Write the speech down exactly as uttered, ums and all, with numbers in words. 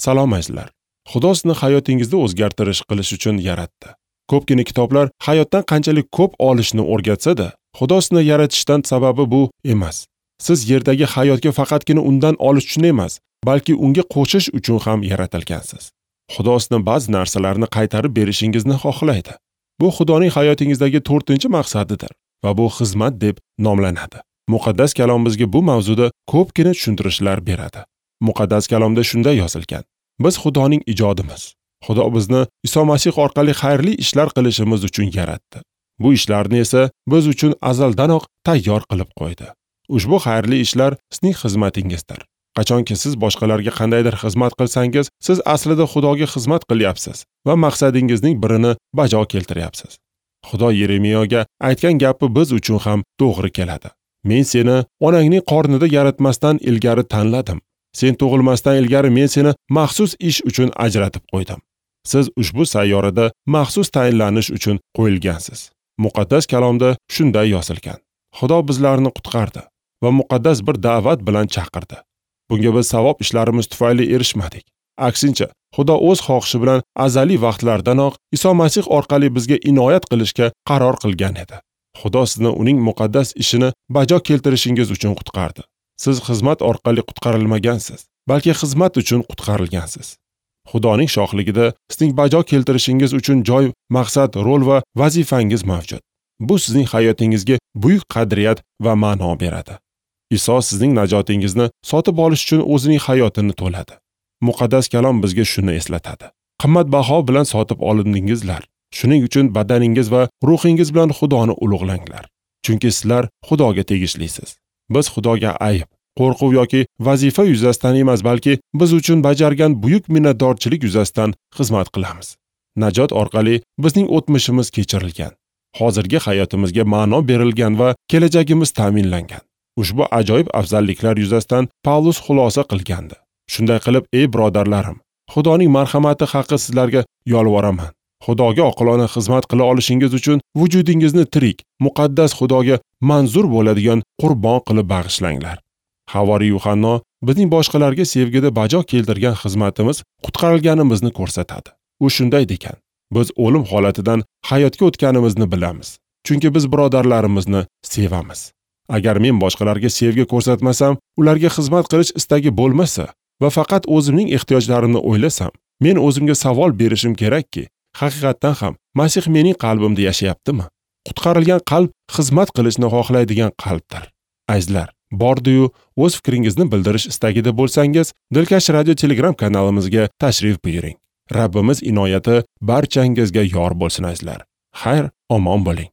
Salom azizlar. Xudo sizni hayotingizni o'zgartirish qilish uchun yaratdi. Ko'pgina kitoblar hayotdan qanchalik ko'p olishni o'rgatsa-da, Xudo sizni yaratishdan sababi bu emas. Siz yerdagi hayotga faqatgina undan olish uchun emas, balki unga qo'shish uchun ham yaratilgansiz. Xudo sizni ba'zi narsalarni qaytarib berishingizni xohlaydi. Bu Xudoning hayotingizdagi to'rtinchi maqsadidir va bu xizmat deb nomlanadi. Muqaddas kalom bizga bu mavzuda ko'pgina tushuntirishlar beradi. Muqaddas kalomda shunday yozilgan: Biz Xudoning ijodimiz. Xudo bizni Iso Masih orqali xayrli ishlar qilishimiz uchun yaratdi. Bu ishlarni esa biz uchun azaldanoq tayyor qilib qo'ydi. Ushbu xayrli ishlar sizning xizmatingizdir. Qachonki siz boshqalarga qandaydir xizmat qilsangiz, siz aslida Xudoga xizmat qilyapsiz va maqsadingizning birini bajo keltiryapsiz. Xudo Yeremiyaga aytgan gapi biz uchun ham to'g'ri keladi. Men seni onangning qornida yaratmasdan ilgari tanladim. Sen tug'ilmasdan ilgari men seni maxsus ish uchun ajratib qo'ydim. Siz ushbu sayyorada maxsus tayinlanish uchun qo'yilgansiz. Muqaddas kalomda shunday yozilgan. Xudo bizlarni qutqardi va muqaddas bir da'vat bilan chaqirdi. Bunga biz savob ishlarimiz tufayli erishmadik. Aksincha, Xudo o'z xohishi bilan azaliy vaqtlardanoq Iso Masih orqali bizga inoyat qilishga qaror qilgan edi. Xudo sizni uning muqaddas ishini bajo keltirishingiz uchun qutqardi. Siz xizmat orqali qutqarilmagansiz, balki xizmat uchun qutqarilgansiz. Xudoning shohligida sizning bajo keltirishingiz uchun joy, maqsad, rol va vazifangiz mavjud. Bu sizning hayotingizga buyuk qadriyat va ma'no beradi. Iso sizning najotingizni sotib olish uchun o'zining hayotini to'ladi. Muqaddas kalom bizga shuni eslatadi. Qimmatbaho bilan sotib olindingizlar. Shuning uchun badaningiz va ruhingiz bilan Xudoni ulug'langlar. Chunki sizlar Xudoga tegishlisiz. Biz Xudoga ayb, qo'rquv yoki vazifa yuzasidan emas, balki biz uchun bajargan buyuk minnatdorchilik yuzasidan xizmat qilamiz. Najot orqali bizning o'tmishimiz kechirilgan, hozirgi hayotimizga ma'no berilgan va kelajagimiz ta'minlangan. Ushbu ajoyib afzalliklar yuzasidan Pavlus xulosa qilgandi. Shunday qilib, ey birodarlarim, Xudoning marhamati haqi sizlarga yolvoraman. Xudoga oqilona xizmat qila olishingiz uchun vujudingizni tirik, muqaddas Xudoga manzur bo'ladigan qurbon qilib bag'ishlanglar. Havoriy Yuhanno bizning boshqalarga sevgida bajo keltirgan xizmatimiz qutqarilganimizni ko'rsatadi. U shunday degan: biz o'lim holatidan hayotga o'tganimizni bilamiz, chunki biz birodarlarimizni sevamiz. Agar men boshqalarga sevgi ko'rsatmasam, ularga xizmat qilish istagi bo'lmasa va faqat o'zimning ehtiyojlarimni o'ylasam, men o'zimga savol berishim kerakki, haqiqatdan ham Masih mening qalbimda yashayaptimi? Qutqarilgan qalb xizmat qilishni xohlaydigan qalbdir. Azizlar, bordi-yu o'z fikringizni bildirish istagida bo'lsangiz, Dilkash Radio Telegram kanalimizga tashrif buyuring. Rabbimiz inoyati barchangizga yor bo'lsin azizlar. Xayr, omon bo'ling.